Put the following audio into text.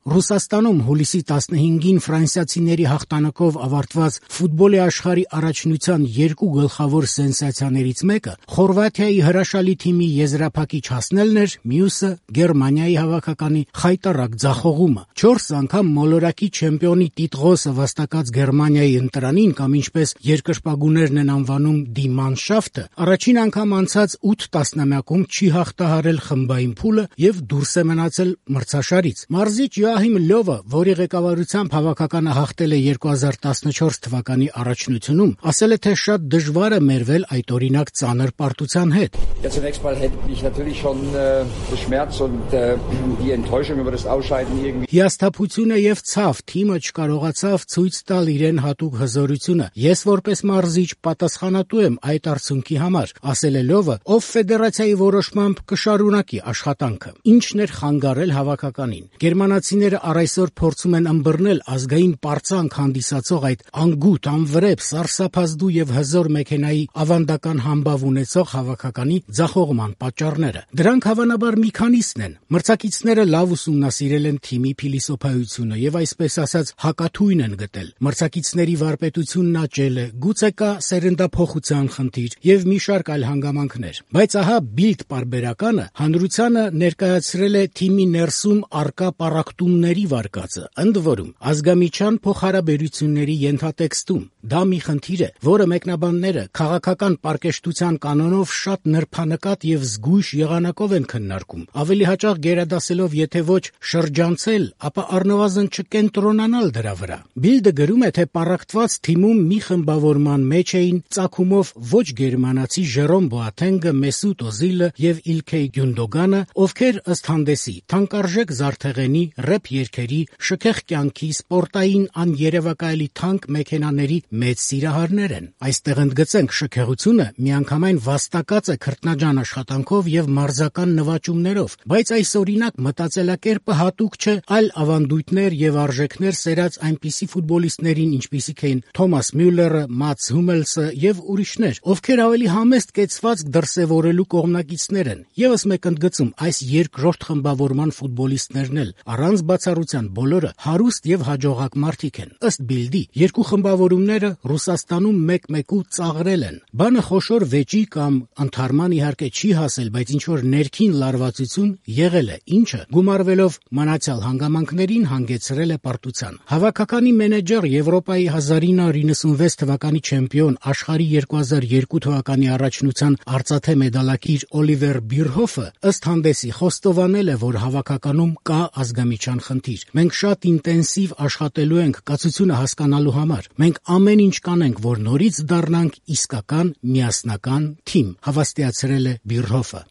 Ռուսաստանում հուլիսի 15-ին ֆրանսիացիների հաղթանակով ավարտված ֆուտբոլի աշխարհի առաջնության երկու գլխավոր սենսացիաներից մեկը Խորվաթիայի հրաշալի թիմի եզրափակիչ հասնելն էր, մյուսը Գերմանիայի հավաքականի խայտառակ ձախողումը։ 4 անգամ մոլորակի չեմպիոնի տիտղոսը վաստակած Գերմանիայի ընտրանին, կամ ինչպես երկրպագուներն են անվանում «Die Mannschaft», առաջին անգամ անցած 8 տասնամյակում չի հաղթահարել խմբային փուլը եւ դուրս է մնացել մրցաշարից։ Մարզիչ Յոահիմ Լյովը, որի ղեկավարությամբ հավաքականը հաղթել է 2014 թվականի առաջնությունում, ասել է, թե շատ դժվար է մերվել այդ օրինակ ծանր պարտության հետ։ Հիասթափությունը եւ ցավ, թիմը չկարողացավ ցույց տալ իրեն հատուկ հզորությունը։ Ես որպես մարզիչ պատասխանատու եմ այդ արդյունքի համար, ասել է Լյովը, ով ֆեդերացիայի որոշմամբ կշարունակի աշխատանքը։ Ինչն էր խանգարել հավաքականին։ Գերմանացիները առայսօր փորձում են ըմբռնել ազգային պարծանք հանդիսացող այդ անգութ, անվրեպ, սարսափազդու եւ հզոր մեքենայի ավանդական համբավ ունեցող հավաքականի ձախողման պատճառները։ Դրանք հավանաբար մի քանիսն են։ Մրցակիցները լավ ուսումնասիրել են թիմի փիլիսոփայությունը եւ այսպես ասած հակաթույն են գտել։ Մրցակիցների վարպետությունն աճել է, գուցե կա սերնդափոխության խնդիր եւ մի շարք այլ հանգամանքներ։ Բայց ահա Bild պարբերականը հանրությանը ներկայացրել է թիմի ներսում առկա պառակտումների վարկածը, ընդ որում ազգամիչյան փոխհարաբերությունների ենթատեքստում։ Դա մի խնդիր է, որը մեկնաբանները քաղաքական պարկեշտության կանոնով շատ նրբանկատ եւ զգույշ եղանակով են քննարկում, ավելի հաճախ գերադասելով եթե ոչ շրջանցել, ապա առնվազն չկենտրոնանալ դրա վրա։ Bild-ը գրում է, թե պառակտված թիմում մի խմբավորման մեջ էին ծագումով ոչ գերմանացի Ժերոմ Բոաթենգը, Մեսուտ Օզիլը եւ Իլքեյ Գյունդոգանը, ովքեր ըստ հանդեսի թանկարժեք զարդեղենի, ռեփ երգերի, շքեղ կյանքի, սպորտային աներևակայելի թանկ մեքենաների մեծ սիրահարներ են։ Այստեղ ընդգծենք, շքեղությունը միանգամայն վաստակած է քրտնաջան աշխատանքով եւ մարզական նվաճումներով, բայց այս օրինակ մտածելակերպը հատուկ չէ այլ ավանդույթներ եւ արժեքներ սերած այնպիսի ֆուտբոլիստներին, ինչպիսիք էին Թոմաս Մյուլլերը, Մատս Հումելսը եւ ուրիշներ, ովքեր ավելի համեստ կեցվածք դրսեւորելու կողմնակիցներ են։ Եվս մեկ ընդգծում, այս երկրորդ խմբավորման ֆուտբոլիստներն էլ առանց բացառության բոլորը հարուստ եւ հաջողակ մարդիկ են։ Ըստ Bild-ի, երկու խմբավորումները Ռուսաստանում մեկ-մեկու ծաղրել են։ Բանը խոշոր վեճի կամ ընդհարման իհարկե չի հասել, բայց ինչ որ ներքին լարվածություն եղել է, ինչը գումարվելով մնացյալ հանգամանքներին հանգեցրել է պարտության։ Հավաքականի մենեջեր, Եվրոպայի 1996 թվականի չեմպիոն, աշխարհի 2002 թվականի առաջնության արծաթե մեդալակիր Օլիվեր Բիրհոֆը ըստ հանդեսի խոստովանել է, որ հավաքականում կա ազգամիչյան խնդիր։ Մենք շատ ինտենսիվ աշխատելու ենք կացությունը հասկանալու համար։ Մենք ամեն ինչ կանենք, որ նորից դառնանք իսկական միասնական թիմ, հավաստիացրել է Բիրհոֆը։